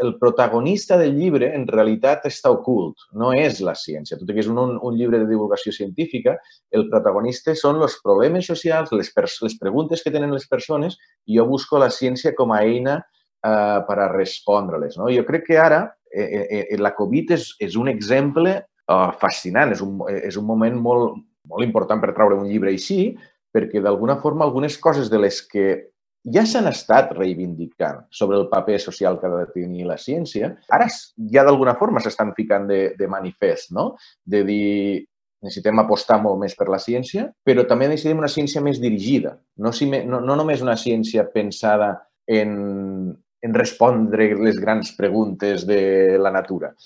El protagonista del llibre, en realitat, està ocult, no és la ciència. Tot i que és un llibre de divulgació científica, el protagonista són els problemes socials, les preguntes que tenen les persones, i jo busco la ciència com a eina per a respondre-les. Jo crec que ara la Covid és un exemple fascinant, és un moment molt important per treure un llibre així, perquè d'alguna forma algunes coses de les que ja s'han estat reivindicant sobre el paper social que ha de tenir la ciència, ara ja d'alguna forma s'estan ficant de manifest, no? De dir, necessitem apostar molt més per la ciència, però també necessitem una ciència més dirigida, no només una ciència pensada en respondre les grans preguntes de la natura,